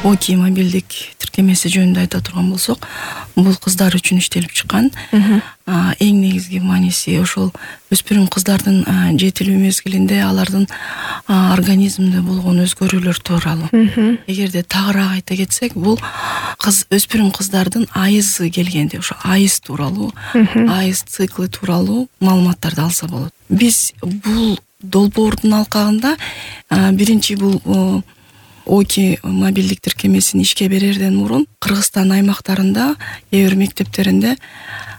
ОКИ мобилдик тиркемеси жөнүндө айта турган болсок, бул кыздар үчүн иштелип чыккан. Эң негизги мааниси ошол өспүрүм кыздардын жетилүү мезгилинде алардын организминде болгон өзгөрүүлөр тууралуу. Эгерде тагыраак айта кетсек, бул өспүрүм кыздардын айызы келгенде ошо айыз тууралуу, айыз циклы тууралуу маалыматтарды алса болот. Биз бул долбоордун алкагында биринчи бул ОКИ мобилдик тиркемесин ишке берерден мурун Кыргызстан аймактарында эбир мектептеринде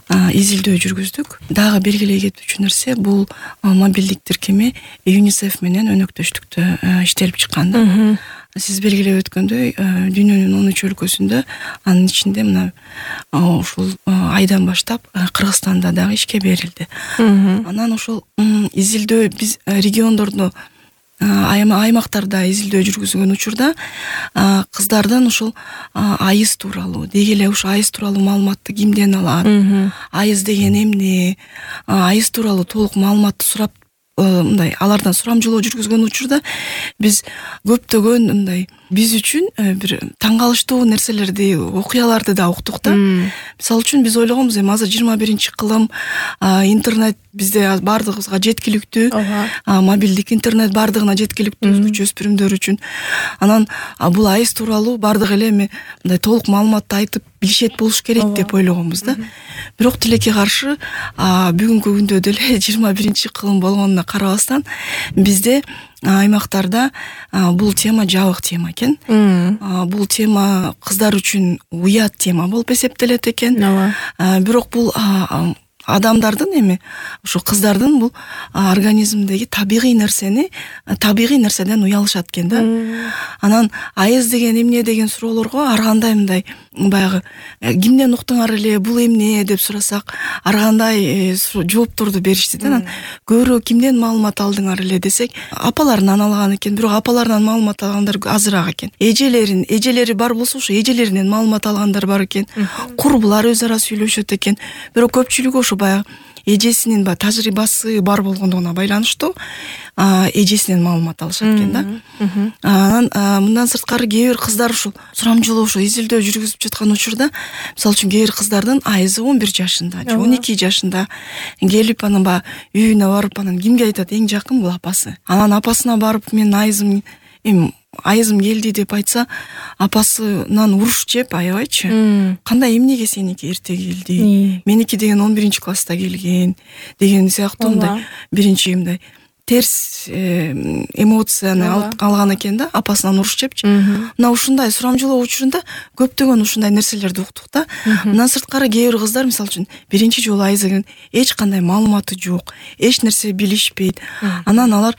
изилдөө жүргүздүк. Дагы белгилей кетүүчү нерсе, бул мобилдик тиркеме ЮНИСЕФ менен өнөктөштүктө иштелип чыккан да. Сиз белгилеп өткөндөй, дүйнөнүн 13 өлкөсүндө, анын ичинде мына ушул айдан баштап Кыргызстанда дагы ишке берилди. Анан ошол изилдөө биз региондордо аймактарда изилдөө жүргүзгөн учурда кыздардын ушул айыз тууралуу, деги эле ушу айыз тууралуу маалыматты кимден алат, айыз деген эмне, айыз тууралуу толук маалыматты сурап, мындай алардан сурамжылоо жүргүзгөн учурда биз көптөгөн мындай биз үчүн бир таң калыштуу нерселерди, окуяларды да уктук да. Мисалы үчүн биз ойлогонбуз, эми азыр 21-кылым, интернет бизде бардыгыбызга жеткиликтүү, мобилдик интернет бардыгына жеткиликтүү, өзгөчө өспүрүмдөр үчүн. Анан бул айыз тууралуу бардык эле эми мындай толук маалыматты айтып билишет болуш керек деп ойлогонбуз да. Бирок тилекке каршы бүгүнкү күндө деле 21-кылым болгонуна карабастан бизде аймактарда бул тема жабык тема экен. Бул тема кыздар үчүн уят тема болуп эсептелет экен. Бирок бул адамдардын эми ошо кыздардын бул организмдеги табигый нерседен уялышат экен да. Анан айыз деген эмне деген суроолорго ар кандай мындай баягы кимден уктуңар эле, бул эмне деп сурасак, ар кандай жоопторду беришти да. Анан көбүрөөк кимден маалымат алдыңар эле десек, апаларынан алган экен, бирок апаларынан маалымат алгандар азыраак экен. Эжелери бар болсо, ошо эжелеринен маалымат алгандар бар экен. Курбулар өз ара сүйлөшөт экен. Бирок көпчүлүгү ошо баягы эжесинин тажрыйбасы бар болгондугуна байланыштуу эжесинен маалымат алышат экен да. Анан мындан сырткары кээ бир кыздар ушул сурамжылоо ошо изилдөө жүргүзүп жаткан учурда, мисалы үчүн кээ бир кыздардын айызы 11 жашында, же 12 жашында келип анан баягы үйүнө барып, анан кимге айтат? Эң жакын бул апасы. Анан апасына барып, менин айызым келди деп айтса, апасынан уруш жеп аябайчы. Кандай эмнеге сеники эрте келди? Меники деген 11-класста келген деген сыяктуу мындай биринчи мындай терс эмоцияны алган экен да, апасынан уруш жепчи. Мына ушундай сурамжылоо учурунда көптөгөн ушундай нерселерди уктук да. Мындан сырткары кээ бир кыздар, мисалы үчүн, биринчи жолу айызы келген, эч кандай маалыматы жок, эч нерсе билишпейт. Анан алар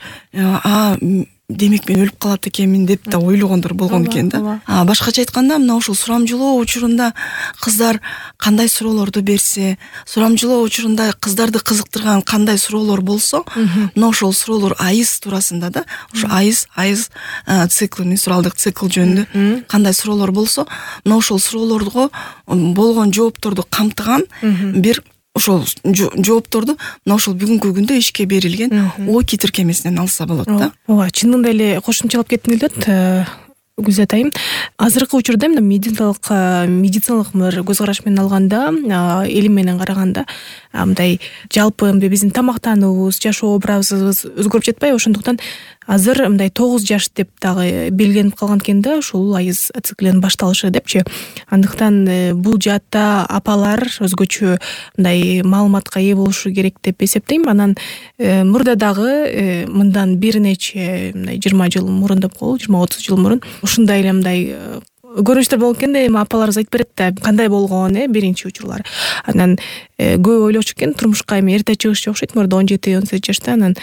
демек мен өлүп калат экенмин деп да ойлогондор болгон экен да. Башкача айтканда, мына ушул сурамжылоо учурунда кыздар кандай суроолорду берсе, сурамжылоо учурунда кыздарды кызыктырган кандай суроолор болсо, мына ошол суроолор айыз туурасында да, ошо айыз циклы, менструалдык цикл жөнүндө кандай суроолор болсо, мына ошол суроолорго болгон жоопторду камтыган бир ошол жоопторду мына ошол бүгүнкү күндө ишке берилген ОКИ тиркемесинен алса болот да. Ооба, чынында эле кошумчалап кетким келет. Гүлзат айым, азыркы учурда медициналык көз караш менен алганда, элим менен караганда, мындай жалпы биздин тамактануубуз, жашоо образыбыз өзгөрүп жатпайбы? Ошондуктан азыр мындай 9 жаш деп дагы белгиленип калган экен да, ушул айыз циклинин башталышы депчи. Андыктан бул жаатта апалар өзгөчө мындай маалыматка ээ болушу керек деп эсептейм. Анан мурда дагы мындан бир нече 20 жыл мурун деп коелу, 20-30 жыл мурун ушундай эле мындай көрүнүштөр болот экен да. Эми апаларыбыз айтып берет да, кандай болгон биринчи учурлары. Анан көп ойлочу экен, турмушка эми эрте чыгышчу окшойт, мурда 17-18 жашта, анан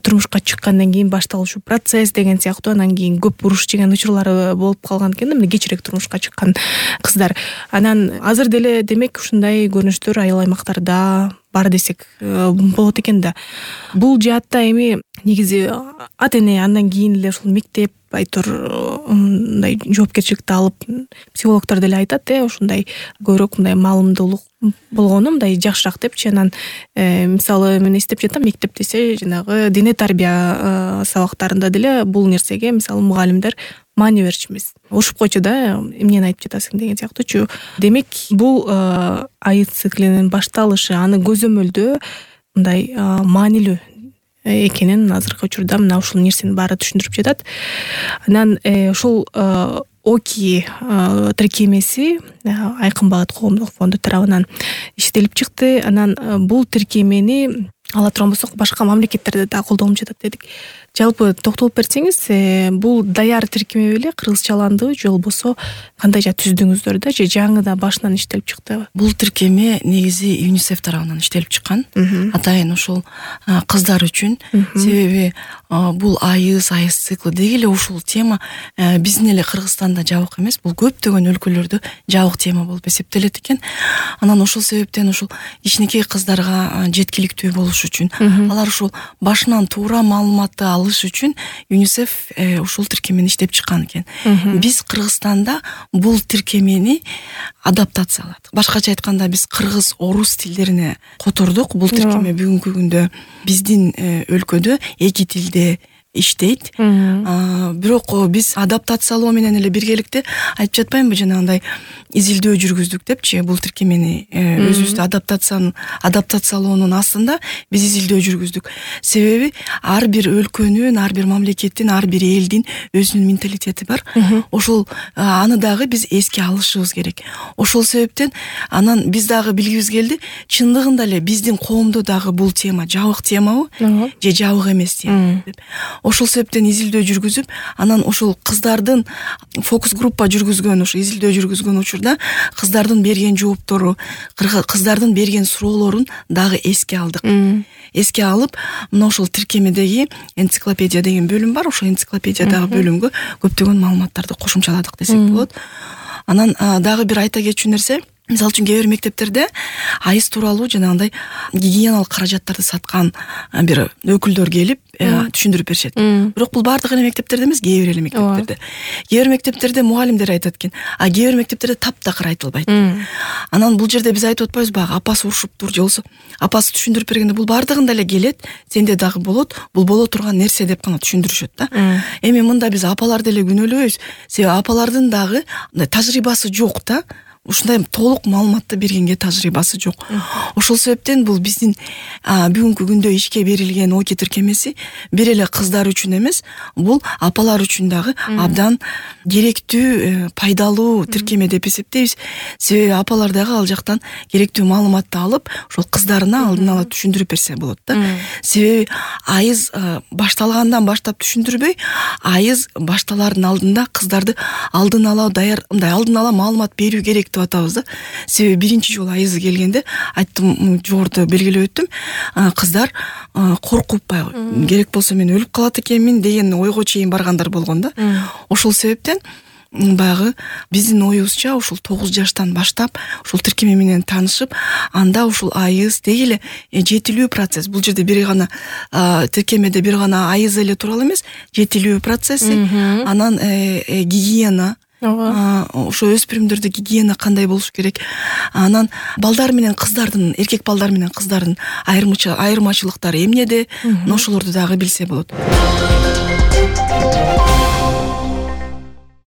турмушка чыккандан кийин башталуучу процесс деген сыяктуу, анан кийин көп уруш жеген учурлары болуп калган экен да, мына кечирээк турмушка чыккан кыздар. Анан азыр деле демек ушундай көрүнүштөр айыл аймактарда бар десек болот экен да. Бул жаатта эми негизи ата эне андан кийин эле ушул мектеп мындай жоопкерчиликти алып, психологдор деле айтат, ушундай көбүрөөк мындай маалымдуулук болгону мындай жакшыраак депчи. Анан мисалы мен эстеп жатам, мектеп десе жанагы дене тарбия сабактарында деле бул нерсеге мисалы мугалимдер маани берчүбүз. Ушуп койчу да, эмнени айтып жатасың деген сыяктуучу. Демек бул айыз циклинин башталышы, аны көзөмөлдөө мындай маанилүү экенин азыркы учурда мына ушул нерсенин баары түшүндүрүп жатат. Анан ушул ОКИ тиркемеси Айкын Багыт коомдук фонду тарабынан иштелип чыкты. Анан бул тиркемени ала турган болсок, башка мамлекеттерде да колдонулуп жатат дедик. Жалпы токтолуп берсеңиз, бул даяр тиркеме беле, кыргызчаландыбы же болбосо кандайча түздүңүздөр да, же жаңыда башынан иштелип чыктыбы? Бул тиркеме негизи ЮНИСЕФ тарабынан иштелип чыккан. Атайын ушул кыздар үчүн. Себеби бул айыз циклы деги эле ушул тема биздин эле Кыргызстанда жабык эмес, бул көптөгөн өлкөлөрдө жабык тема болуп эсептелет экен. Анан ошол себептен ушул кичинекей кыздарга жеткиликтүү болуш үчүн, алар ушул башынан туура маалыматты алыш үчүн ЮНИСЕФ ушул тиркемени иштеп чыккан экен. Биз Кыргызстанда бул тиркемени адаптацияладык. Башкача айтканда, биз кыргыз, орус тилдерине котордук. Бул тиркеме бүгүнкү күндө биздин өлкөдө 2 тилде иштейт. Бирок биз адаптациялоо менен эле биргеликте айтып жатпаймынбы, жанагындай изилдөө жүргүздүк депчи, бул тиркемени өзүбүздү адаптациялоонун астында биз изилдөө жүргүздүк. Себеби ар бир өлкөнүн, ар бир мамлекеттин, ар бир элдин өзүнүн менталитети бар. Ошол аны дагы биз эске алышыбыз керек. Ошол себептен анан биз дагы билгибиз келди, чындыгында эле биздин коомдо дагы бул тема жабык темабы же жабык эмес тема деп. Ошол себептен изилдөө жүргүзүп, анан ошол кыздардын фокус группа жүргүзгөн, ошо изилдөө жүргүзгөн учурда кыздардын берген жооптору, кыздардын берген суроолорун дагы эске алдык. Эске алып, мына ошол тиркемедеги энциклопедия деген бөлүм бар, ошол энциклопедиядагы бөлүмгө көптөгөн маалыматтарды кошумчаладык десек болот. Анан дагы бир айта кетчү нерсе, мисалы үчүн кээ бир мектептерде айыз тууралуу жанагындай гигиеналык каражаттарды саткан бир өкүлдөр келип түшүндүрүп беришет. Бирок бул бардык эле мектептерде эмес, кээ бир эле мектептерде. Кээ бир мектептерде мугалимдер айтат экен, кээ бир мектептерде таптакыр айтылбайт. Анан бул жерде биз айтып атпайбызбы, апасы урушуптур же болбосо апасы түшүндүрүп бергенде бул бардыгында эле келет, сенде дагы болот, бул боло турган нерсе деп гана түшүндүрүшөт да. Эми мында биз апаларды эле күнөөлөбөйбүз. Себеби апалардын дагы тажрыйбасы жок да. Ушундай толук маалыматты бергенге тажрыйбасы жок. Ошол себептен бул биздин бүгүнкү күндө ишке берилген ОКИ тиркемеси бир эле кыздар үчүн эмес, бул апалар үчүн дагы абдан керектүү, пайдалуу тиркеме деп эсептейбиз. Себеби апалар дагы ал жактан керектүү маалыматты алып, ошол кыздарына алдын ала түшүндүрүп берсе болот да. Себеби айыз башталгандан баштап түшүндүрбөй, айыз башталардын алдында кыздарды алдын ала маалымат берүү керек деп атабыз да. Себеби биринчи жолу айызы келгенде, айттым, жогоруда белгилеп өттүм, кыздар коркуп баягы керек болсо мен өлүп калат экенмин деген ойго чейин баргандар болгон да. Ошол себептен баягы биздин оюбузча ушул 9 жаштан баштап ушул тиркеме менен таанышып, анда ушул айыз деги эле жетилүү процесс. Бул жерде бир гана тиркемеде бир гана айыз эле тууралуу эмес, жетилүү процесси, анан гигиена, ошо өспүрүмдөрдө гигиена кандай болуш керек, анан балдар менен кыздардын, эркек балдар менен кыздардын айырмачылыктары эмнеде, ошолорду дагы билсе болот.